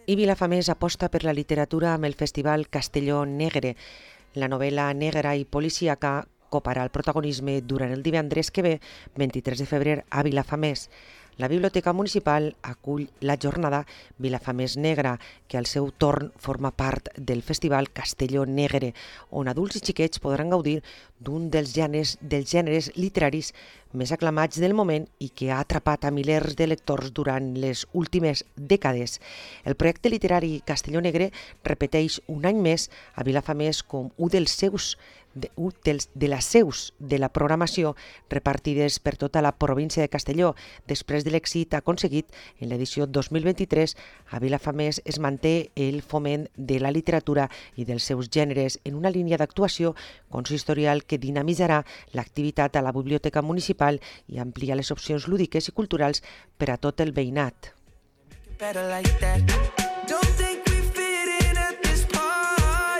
I Vilafamés aposta per la literatura amb el Festival Castelló Negre. La novel·la negra i policíaca coparà el protagonisme durant el divendres que ve, 23 de febrer, a Vilafamés. La Biblioteca Municipal acull la jornada Vilafamés Negra, que al seu torn forma part del Festival Castelló Negre, on adults i xiquets podran gaudir d'un dels gèneres literaris més aclamats del moment i que ha atrapat a milers de lectors durant les últimes dècades. El projecte literari Castelló Negre repeteix un any més a Vilafamés com un de les seus de la programació repartides per tota la província de Castelló. Després de l'èxit aconseguit en l'edició 2023, a Vilafamés es manté el foment de la literatura i dels seus gèneres en una línia d'actuació consistorial que dinamitzarà l'activitat a la Biblioteca Municipal i amplia les opcions lúdiques i culturals per a tot el veïnat.